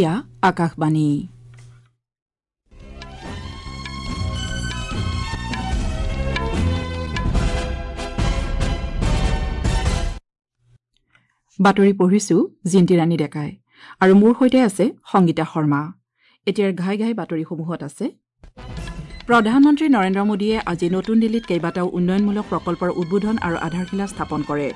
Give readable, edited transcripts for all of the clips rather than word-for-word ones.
এয়া আকাশবাণী। বাতৰি পঢ়িছো জিন্তি ৰাণী ডেকাই আৰু মোৰ সৈতে আছে সংগীতা শৰ্মা। এতিয়াৰ ঘাই ঘাই বাতৰিসমূহত আছে প্ৰধানমন্ত্ৰী নৰেন্দ্ৰ মোদীয়ে আজি নতুন দিল্লীত কেইবাটাও উন্নয়নমূলক প্ৰকল্পৰ উদ্বোধন আৰু আধাৰশিলা স্থাপন কৰে।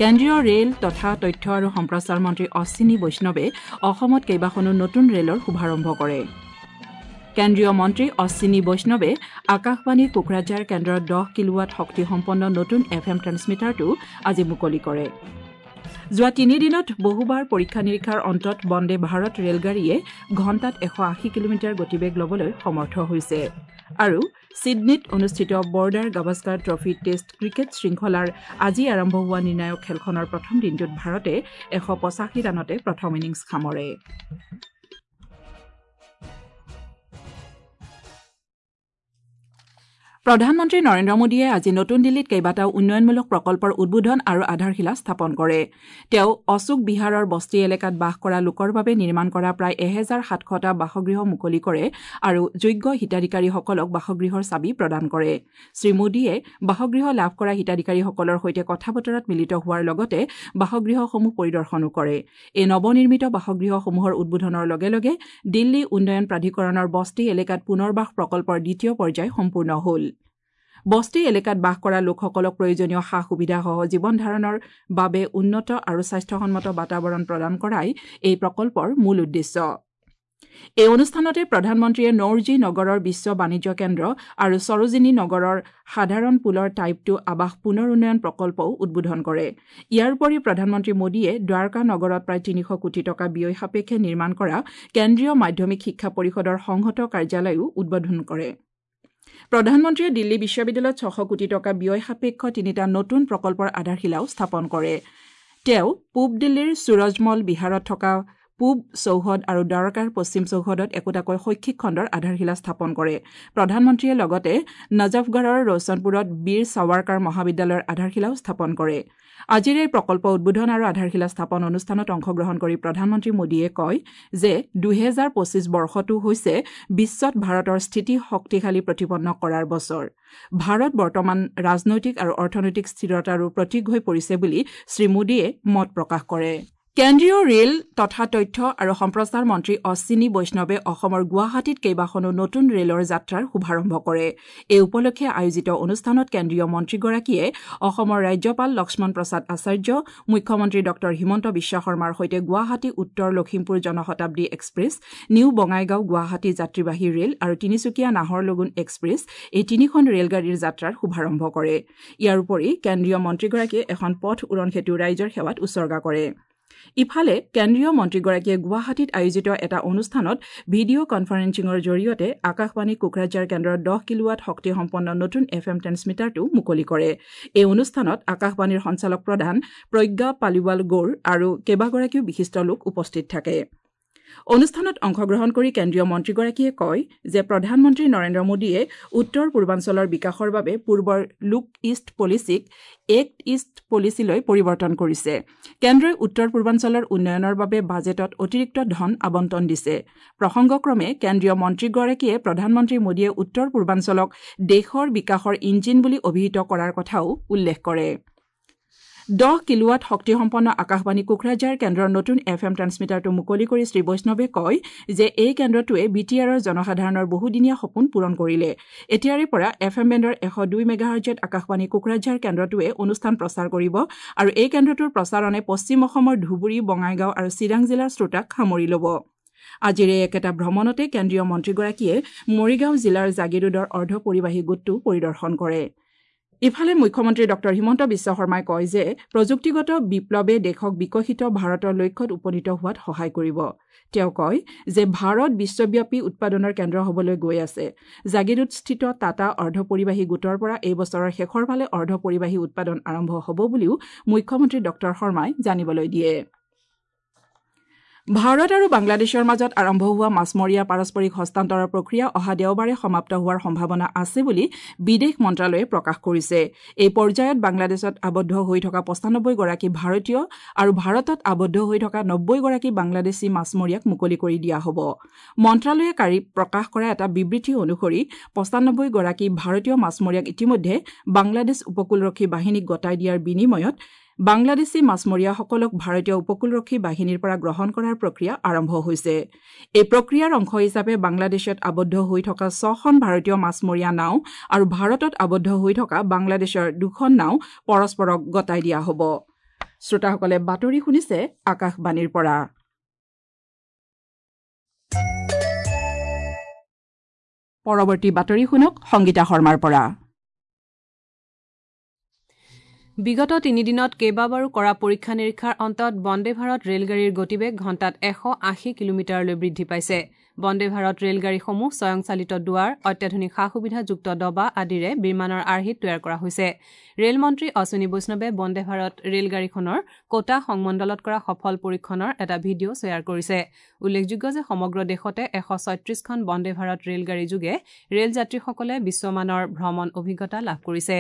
কেন্দ্ৰীয় ৰেল তথা তথ্য আৰু সম্প্ৰচাৰ মন্ত্ৰী অশ্বিনী বৈষ্ণৱে অসমত কেইবাখনো নতুন ৰেলৰ শুভাৰম্ভ কৰে। কেন্দ্ৰীয় মন্ত্ৰী অশ্বিনী বৈষ্ণৱে আকাশবাণী কোকৰাঝাৰ কেন্দ্ৰৰ 10 কিলোৱাট শক্তিসম্পন্ন নতুন এফ এম ট্ৰেন্সমিটাৰটো আজি মুকলি কৰে। যোৱা তিনিদিনত বহুবাৰ পৰীক্ষা নিৰীক্ষাৰ অন্তত বন্দে ভাৰত ৰেলগাড়ীয়ে ঘণ্টাত 180 কিলোমিটাৰ গতিবেগ ল'বলৈ সমৰ্থ হৈছে। আৰু ছিডনীত অনুষ্ঠিত Border Gavaskar trophy test cricket শৃংখলাৰ আজি আৰম্ভ হোৱা নিৰ্ণায়ক খেলখনৰ প্ৰথম দিনটোত ভাৰতে 185 ৰানতে প্ৰথম ইনিংছ সামৰে। প্ৰধানমন্ত্ৰী নৰেন্দ্ৰ মোদীয়ে আজি নতুন দিল্লীত কেইবাটাও উন্নয়নমূলক প্ৰকল্পৰ উদ্বোধন আৰু আধাৰশিলা স্থাপন কৰে। তেওঁ অশোক বিহাৰৰ বস্তি এলেকাত বাস কৰা লোকৰ বাবে নিৰ্মাণ কৰা প্ৰায় 1700টা বাসগৃহ মুকলি কৰে আৰু যোগ্য হিতাধিকাৰীসকলক বাসগৃহৰ চাবি প্ৰদান কৰে। শ্ৰী মোদীয়ে বাসগৃহ লাভ কৰা হিতাধিকাৰীসকলৰ সৈতে কথা বতৰাত মিলিত হোৱাৰ লগতে বাসগৃহসমূহ পৰিদৰ্শনো কৰে। এই নৱনিৰ্মিত বাসগৃহসমূহৰ উদ্বোধনৰ লগে লগে দিল্লী উন্নয়ন প্ৰাধিকৰণৰ বস্তি এলেকাত পুনৰ্বাস প্ৰকল্পৰ দ্বিতীয় পৰ্যায় সম্পূৰ্ণ হ'ল। বস্তি এলেকাত বাস কৰা লোকসকলক প্ৰয়োজনীয় সা সুবিধাসহ জীৱন ধাৰণৰ বাবে উন্নত আৰু স্বাস্থ্যসন্মত বাতাবৰণ প্ৰদান কৰাই এই প্ৰকল্পৰ মূল উদ্দেশ্য। এই অনুষ্ঠানতে প্ৰধানমন্ত্ৰীয়ে নৌৰজী নগৰৰ বিশ্ব বাণিজ্য কেন্দ্ৰ আৰু সৰোজিনী নগৰৰ সাধাৰণ পুলৰ টাইপ 2 আৱাস পুনৰ উন্নয়ন প্ৰকল্পও উদ্বোধন কৰে। ইয়াৰ উপৰি প্ৰধানমন্ত্ৰী মোদীয়ে দ্বাৰকা নগৰত প্ৰায় 300 কোটি টকা ব্যয় সাপেক্ষে নিৰ্মাণ কৰা কেন্দ্ৰীয় মাধ্যমিক শিক্ষা পৰিষদৰ সংহত কাৰ্যালয়ো উদ্বোধন কৰে। প্ৰধানমন্ত্ৰীয়ে দিল্লী বিশ্ববিদ্যালয়ত 600 কোটি টকা ব্যয় সাপেক্ষ তিনিটা নতুন প্ৰকল্পৰ আধাৰশিলাও স্থাপন কৰে। তেওঁ পূব দিল্লীৰ সুৰজমল বিহাৰত থকা পূব চৌহদ আৰু দ্বাৰকাৰ পশ্চিম চৌহদত একোটাকৈ শৈক্ষিক খণ্ডৰ আধাৰশিলা স্থাপন কৰে। প্ৰধানমন্ত্ৰীয়ে লগতে নজফগড়ৰ ৰোশনপুৰত বীৰ সাৱাৰকাৰ মহাবিদ্যালয়ৰ আধাৰশিলাও স্থাপন কৰে। আজিৰ এই প্ৰকল্প উদ্বোধন আৰু আধাৰশিলা স্থাপন অনুষ্ঠানত অংশগ্ৰহণ কৰি প্ৰধানমন্ত্ৰী মোদীয়ে কয় যে 2025 বৰ্ষটো হৈছে বিশ্বত ভাৰতৰ স্থিতি শক্তিশালী প্ৰতিপন্ন কৰাৰ বছৰ। ভাৰত বৰ্তমান ৰাজনৈতিক আৰু অৰ্থনৈতিক স্থিৰতাৰো প্ৰতীক হৈ পৰিছে বুলি শ্ৰী মোদীয়ে মত প্ৰকাশ কৰে। কেন্দ্ৰীয় ৰেল তথা তথ্য আৰু সম্প্ৰচাৰ মন্ত্ৰী অশ্বিনী বৈষ্ণৱে অসমৰ গুৱাহাটীত কেইবাখনো নতুন ৰেলৰ যাত্ৰাৰ শুভাৰম্ভ কৰে। এই উপলক্ষে আয়োজিত অনুষ্ঠানত কেন্দ্ৰীয় মন্ত্ৰীগৰাকীয়ে অসমৰ ৰাজ্যপাল লক্ষ্মণ প্ৰসাদ আচাৰ্য, মুখ্যমন্ত্ৰী ডঃ হিমন্ত বিশ্ব শৰ্মাৰ সৈতে গুৱাহাটী উত্তৰ লখিমপুৰ জনশতাব্দী এক্সপ্ৰেছ, নিউ বঙাইগাঁও গুৱাহাটী যাত্ৰীবাহী ৰেল আৰু তিনিচুকীয়া নাহৰলগুণ এক্সপ্ৰেছ এই তিনিখন ৰেলগাড়ীৰ যাত্ৰাৰ শুভাৰম্ভ কৰে। ইয়াৰ উপৰি কেন্দ্ৰীয় মন্ত্ৰীগৰাকীয়ে এখন পথ উৰণ সেতু ৰাইজৰ সেৱাত উছৰ্গা কৰে। ইফালে কেন্দ্ৰীয় মন্ত্ৰীগৰাকীয়ে গুৱাহাটীত আয়োজিত এটা অনুষ্ঠানত ভিডিঅ' কনফাৰেন্সিঙৰ জৰিয়তে আকাশবাণী কোকৰাঝাৰ কেন্দ্ৰৰ 10 কিলোৱাট শক্তিসম্পন্ন নতুন এফ এম ট্ৰেন্সমিটাৰটো মুকলি কৰে। এই অনুষ্ঠানত আকাশবাণীৰ সঞ্চালক প্ৰধান প্ৰজ্ঞা পালিৱাল গৌৰ আৰু কেইবাগৰাকীও বিশিষ্ট লোক উপস্থিত থাকে। অনুষ্ঠানত অংশগ্ৰহণ কৰি কেন্দ্ৰীয় মন্ত্ৰীগৰাকীয়ে কয় যে প্ৰধানমন্ত্ৰী নৰেন্দ্ৰ মোদীয়ে উত্তৰ পূৰ্বাঞ্চলৰ বিকাশৰ বাবে পূৰ্বৰ লুক ইষ্ট পলিচিক এক্ট ইষ্ট পলিচিলৈ পৰিৱৰ্তন কৰিছে। কেন্দ্ৰই উত্তৰ পূৰ্বাঞ্চলৰ উন্নয়নৰ বাবে বাজেটত অতিৰিক্ত ধন আবণ্টন দিছে। প্ৰসংগক্ৰমে কেন্দ্ৰীয় মন্ত্ৰীগৰাকীয়ে প্ৰধানমন্ত্ৰী মোদীয়ে উত্তৰ পূৰ্বাঞ্চলক দেশৰ বিকাশৰ ইঞ্জিন বুলি অভিহিত কৰাৰ কথাও উল্লেখ কৰে। 10 কিলোৱাট শক্তিসম্পন্ন আকাশবাণী কোকৰাঝাৰ কেন্দ্ৰৰ নতুন এফ এম ট্ৰেন্সমিটাৰটো মুকলি কৰি শ্ৰী বৈষ্ণৱে কয় যে এই কেন্দ্ৰটোৱে বি টি আৰৰ জনসাধাৰণৰ বহুদিনীয়া সপোন পূৰণ কৰিলে। এতিয়াৰে পৰা এফ এম বেণ্ডৰ 102 মেগাহাৰ্জত আকাশবাণী কোকৰাঝাৰ কেন্দ্ৰটোৱে অনুষ্ঠান প্ৰচাৰ কৰিব আৰু এই কেন্দ্ৰটোৰ প্ৰচাৰণে পশ্চিম অসমৰ ধুবুৰী, বঙাইগাঁও আৰু চিৰাং জিলাৰ শ্ৰোতাক সামৰি ল'ব। আজিৰ এই একেটা ভ্ৰমণতে কেন্দ্ৰীয় মন্ত্ৰীগৰাকীয়ে মৰিগাঁও জিলাৰ জাগিৰোডৰ অৰ্ধ পৰিবাহী গোটটো পৰিদৰ্শন কৰে। ইফালে মুখ্যমন্ত্ৰী ডঃ হিমন্ত বিশ্ব শৰ্মাই কয় যে প্ৰযুক্তিগত বিপ্লৱে দেশক বিকশিত ভাৰতৰ লক্ষ্যত উপনীত হোৱাত সহায় কৰিব। তেওঁ কয় যে ভাৰত বিশ্বব্যাপী উৎপাদনৰ কেন্দ্ৰ হ'বলৈ গৈ আছে। জাগিৰোডস্থিত টাটা অৰ্ধপৰিবাহী গোটৰ পৰা এই বছৰৰ শেষৰ ফালে অৰ্ধপৰিবাহী উৎপাদন আৰম্ভ হ'ব বুলিও মুখ্যমন্ত্ৰী ডঃ শৰ্মাই জানিবলৈ দিয়ে। ভাৰত আৰু বাংলাদেশৰ মাজত আৰম্ভ হোৱা মাছমৰীয়া পাৰস্পৰিক হস্তান্তৰৰ প্ৰক্ৰিয়া অহা দেওবাৰে সমাপ্ত হোৱাৰ সম্ভাৱনা আছে বুলি বিদেশ মন্ত্ৰালয়ে প্ৰকাশ কৰিছে। এই পৰ্যায়ত বাংলাদেশত আবদ্ধ হৈ থকা ৯৫ গৰাকী ভাৰতীয় আৰু ভাৰতত আবদ্ধ হৈ থকা ৯০ গৰাকী বাংলাদেশী মাছমৰীয়াক মুকলি কৰি দিয়া হ'ব। মন্ত্ৰালয়ে কালি প্ৰকাশ কৰা এটা বিবৃতি অনুসৰি ৯৫ গৰাকী ভাৰতীয় মাছমৰীয়াক ইতিমধ্যে বাংলাদেশ উপকূলৰক্ষী বাহিনীক গতাই দিয়াৰ বিনিময়ত বাংলাদেশী মাছমৰীয়াসকলক ভাৰতীয় উপকূলৰক্ষী বাহিনীৰ পৰা গ্ৰহণ কৰাৰ প্ৰক্ৰিয়া আৰম্ভ হৈছে। এই প্ৰক্ৰিয়াৰ অংশ হিচাপে বাংলাদেশত আবদ্ধ হৈ থকা ৬খন ভাৰতীয় মাছমৰীয়া নাও আৰু ভাৰতত আবদ্ধ হৈ থকা বাংলাদেশৰ ২খন নাও পৰস্পৰক গতাই দিয়া হ'ব। শ্ৰোতাসকলে বাতৰি শুনিছে আকাশবাণীৰ পৰা। পৰৱৰ্তী বাতৰি শুনক সংগীতা শৰ্মাৰ পৰা। বিগত তিনিদিনত কেইবাবাৰো কৰা পৰীক্ষা নিৰীক্ষাৰ অন্তত বন্দে ভাৰত ৰেলগাড়ীৰ গতিবেগ ঘণ্টাত ১৮০ কিলোমিটাৰলৈ বৃদ্ধি পাইছে। বন্দে ভাৰত ৰেলগাড়ীসমূহ স্বয়ংচালিত দুৱাৰ, অত্যাধুনিক সা সুবিধাযুক্ত ডবা আদিৰে বিমানৰ আৰ্হিত তৈয়াৰ কৰা হৈছে। ৰেল মন্ত্ৰী অশ্বিনী বৈষ্ণৱে বন্দে ভাৰত ৰেলগাড়ীখনৰ কোটা সংমণ্ডলত কৰা সফল পৰীক্ষণৰ এটা ভিডিঅ' শ্বেয়াৰ কৰিছে। উল্লেখযোগ্য যে সমগ্ৰ দেশতে ১৩৬খন বন্দে ভাৰত ৰেলগাড়ী যোগে ৰেল যাত্ৰীসকলে বিশ্বমানৰ ভ্ৰমণ অভিজ্ঞতা লাভ কৰিছে।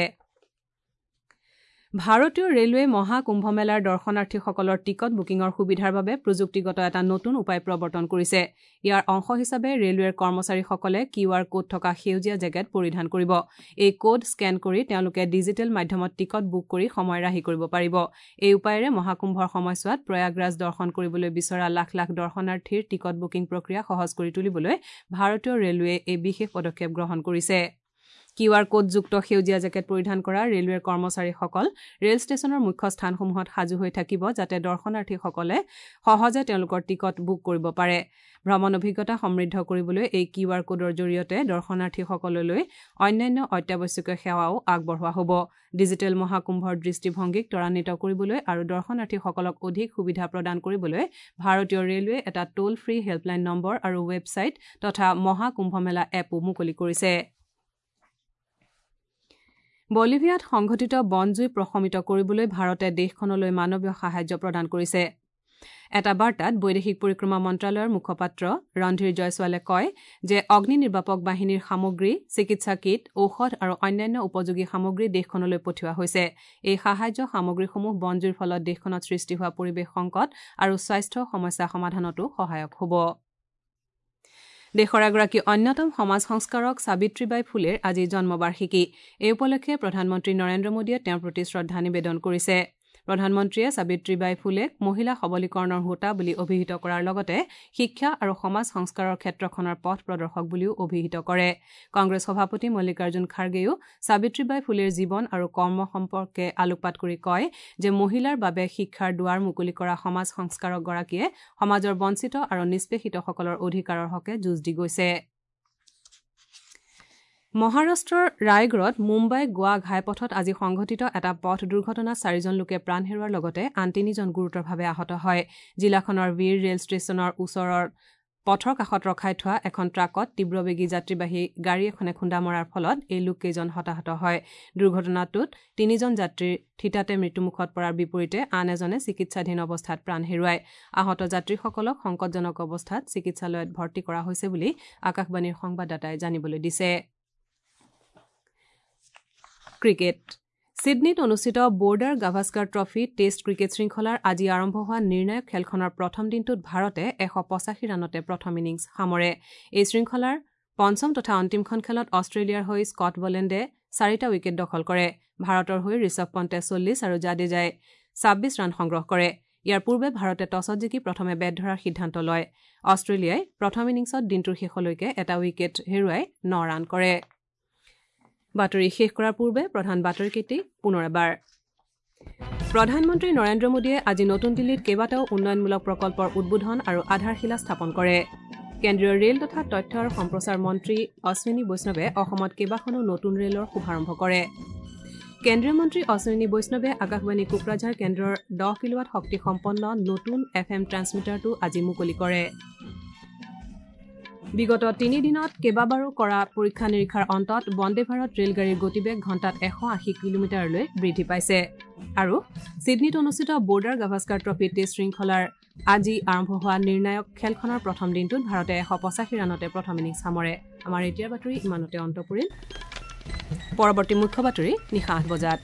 ভাৰতীয় ৰেলৱে মহা কুম্ভমেলাৰ দৰ্শনাৰ্থীসকলৰ টিকট বুকিঙৰ সুবিধাৰ বাবে প্ৰযুক্তিগত এটা নতুন উপায় প্ৰৱৰ্তন কৰিছে। ইয়াৰ অংশ হিচাপে ৰেলৱেৰ কৰ্মচাৰীসকলে কিউ আৰ কোড থকা সেউজীয়া জেকেট পৰিধান কৰিব। এই কোড স্কেন কৰি তেওঁলোকে ডিজিটেল মাধ্যমত টিকট বুক কৰি সময় ৰাহি কৰিব পাৰিব। এই উপায়েৰে মহাকুম্ভৰ সময়ছোৱাত প্ৰয়াগৰাজ দৰ্শন কৰিবলৈ বিচৰা লাখ লাখ দৰ্শনাৰ্থীৰ টিকট বুকিং প্ৰক্ৰিয়া সহজ কৰি তুলিবলৈ ভাৰতীয় ৰেলৱে এই বিশেষ পদক্ষেপ গ্ৰহণ কৰিছে। কিউ আৰ কোডযুক্ত সেউজীয়া জেকেট পৰিধান কৰা ৰেলৱেৰ কৰ্মচাৰীসকল ৰেল ষ্টেচনৰ মুখ্য স্থানসমূহত সাজু হৈ থাকিব, যাতে দৰ্শনাৰ্থীসকলে সহজে তেওঁলোকৰ টিকট বুক কৰিব পাৰে। ভ্ৰমণ অভিজ্ঞতা সমৃদ্ধ কৰিবলৈ এই কিউ আৰ কোডৰ জৰিয়তে দৰ্শনাৰ্থীসকললৈ অন্যান্য অত্যাৱশ্যকীয় সেৱাও আগবঢ়োৱা হ'ব। ডিজিটেল মহাকুম্ভৰ দৃষ্টিভংগীক ত্বৰান্বিত কৰিবলৈ আৰু দৰ্শনাৰ্থীসকলক অধিক সুবিধা প্ৰদান কৰিবলৈ ভাৰতীয় ৰেলৱে এটা টোল ফ্ৰী হেল্পলাইন নম্বৰ আৰু ৱেবছাইট তথা মহাকুম্ভমেলা এপো মুকলি কৰিছে। বলিভিয়াত সংঘটিত বনজুই প্ৰশমিত কৰিবলৈ ভাৰতে দেশখনলৈ মানৱীয় সাহায্য প্ৰদান কৰিছে। এটা বাৰ্তাত বৈদেশিক পৰিক্ৰমা মন্ত্ৰালয়ৰ মুখপাত্ৰ ৰণধীৰ জয়ছোৱালে কয় যে অগ্নি নিৰ্বাপক বাহিনীৰ সামগ্ৰী, চিকিৎসা কিট, ঔষধ আৰু অন্যান্য উপযোগী সামগ্ৰী দেশখনলৈ পঠিওৱা হৈছে। এই সাহায্য সামগ্ৰীসমূহ বনজুইৰ ফলত দেশখনত সৃষ্টি হোৱা পৰিৱেশ সংকট আৰু স্বাস্থ্য সমস্যা সমাধানতো সহায়ক হ'ব। দেশৰ এগৰাকী অন্যতম সমাজ সংস্কাৰক সাবিত্ৰীবাই ফুলেৰ আজি জন্মবাৰ্ষিকী। এই উপলক্ষে প্ৰধানমন্ত্ৰী নৰেন্দ্ৰ মোদীয়ে তেওঁৰ প্ৰতি শ্ৰদ্ধা নিবেদন কৰিছে। প্ৰধানমন্ত্ৰীয়ে সাবিত্ৰীবাই ফুলেক মহিলা সবলীকৰণৰ হোতা বুলি অভিহিত কৰাৰ লগতে শিক্ষা আৰু সমাজ সংস্কাৰৰ ক্ষেত্ৰখনৰ পথ প্ৰদৰ্শক বুলিও অভিহিত কৰে। কংগ্ৰেছ সভাপতি মল্লিকাৰ্জুন খাৰ্গেও সাবিত্ৰীবাই ফুলেৰ জীৱন আৰু কৰ্ম সম্পৰ্কে আলোকপাত কৰি কয় যে মহিলাৰ বাবে শিক্ষাৰ দুৱাৰ মুকলি কৰা সমাজ সংস্কাৰকগৰাকীয়ে সমাজৰ বঞ্চিত আৰু নিষ্পেষিতসকলৰ অধিকাৰৰ হকে যুঁজ দি গৈছে। মহাৰাষ্ট্ৰৰ ৰায়গড়ত মুম্বাই গোৱা ঘাইপথত আজি সংঘটিত এটা পথ দুৰ্ঘটনাত ৪জন লোকে প্ৰাণ হেৰুওৱাৰ লগতে আন ৩জন গুৰুতৰভাৱে আহত হয়। জিলাখনৰ বীৰ ৰেল ষ্টেচনৰ ওচৰৰ পথৰ কাষত ৰখাই থোৱা এখন ট্ৰাকত তীব্ৰবেগী যাত্ৰীবাহী গাড়ী এখনে খুন্দা মৰাৰ ফলত এই লোককেইজন হতাহত হয়। দুৰ্ঘটনাটোত ৩জন যাত্ৰীৰ থিতাতে মৃত্যুমুখত পৰাৰ বিপৰীতে আন এজনে চিকিৎসাধীন অৱস্থাত প্ৰাণ হেৰুৱায়। আহত যাত্ৰীসকলক সংকটজনক অৱস্থাত চিকিৎসালয়ত ভৰ্তি কৰা হৈছে বুলি আকাশবাণীৰ সংবাদদাতাই জানিবলৈ দিছে। ক্ৰিকেট। ছিডনীত অনুষ্ঠিত Border Gavaskar trophy test cricket শৃংখলাৰ আজি আৰম্ভ হোৱা নিৰ্ণায়ক খেলখনৰ প্ৰথম দিনটোত ভাৰতে ১৮৫ ৰানতে প্ৰথম ইনিংছ সামৰে। এই শৃংখলাৰ পঞ্চম তথা অন্তিমখন খেলত অষ্ট্ৰেলিয়াৰ হৈ স্কট বলেণ্ডে ৪টা উইকেট দখল কৰে। ভাৰতৰ হৈ ঋষভ পণ্টে ৪০ আৰু জাদেজাই ২৬ ৰান সংগ্ৰহ কৰে। ইয়াৰ পূৰ্বে ভাৰতে টছত জিকি প্ৰথমে বেট ধৰাৰ সিদ্ধান্ত লয়। অষ্ট্ৰেলিয়াই প্ৰথম ইনিংছত দিনটোৰ শেষলৈকে এটা উইকেট হেৰুৱাই ৯ ৰান কৰে। বাতৰি শেষ কৰাৰ পূৰ্বে প্ৰধান বাতৰিকেইটি পুনৰ এবাৰ। প্ৰধানমন্ত্ৰী নৰেন্দ্ৰ মোদীয়ে আজি নতুন দিল্লীত কেইবাটাও উন্নয়নমূলক প্ৰকল্পৰ উদ্বোধন আৰু আধাৰশিলা স্থাপন কৰে। কেন্দ্ৰীয় ৰেল তথা তথ্য আৰু সম্প্ৰচাৰ মন্ত্ৰী অশ্বিনী বৈষ্ণৱে অসমত কেইবাখনো নতুন ৰেলৰ শুভাৰম্ভ কৰে। কেন্দ্ৰীয় মন্ত্ৰী অশ্বিনী বৈষ্ণৱে আকাশবাণী কোকৰাঝাৰ কেন্দ্ৰৰ ১০ কিলোৱাট শক্তিসম্পন্ন নতুন এফ এম ট্ৰেন্সমিটাৰটো আজি মুকলি কৰে। বিগত তিনিদিনত কেইবাবাৰো কৰা পৰীক্ষা নিৰীক্ষাৰ অন্তত বন্দে ভাৰত ৰেলগাড়ীৰ গতিবেগ ঘণ্টাত ১৮০ কিলোমিটাৰলৈ বৃদ্ধি পাইছে। আৰু ছিডনীত অনুষ্ঠিত বৰ্ডাৰ গাভাস্কাৰ ট্ৰফী টেষ্ট শৃংখলাৰ আজি আৰম্ভ হোৱা নিৰ্ণায়ক খেলখনৰ প্ৰথম দিনটোত ভাৰতে 185 ৰানতে প্ৰথম ইনিংছ সামৰে। আমাৰ এতিয়াৰ বাতৰি ইমানতে অন্ত পৰিল। পৰৱৰ্তী মুখ্য বাতৰি নিশা ৮ বজাত।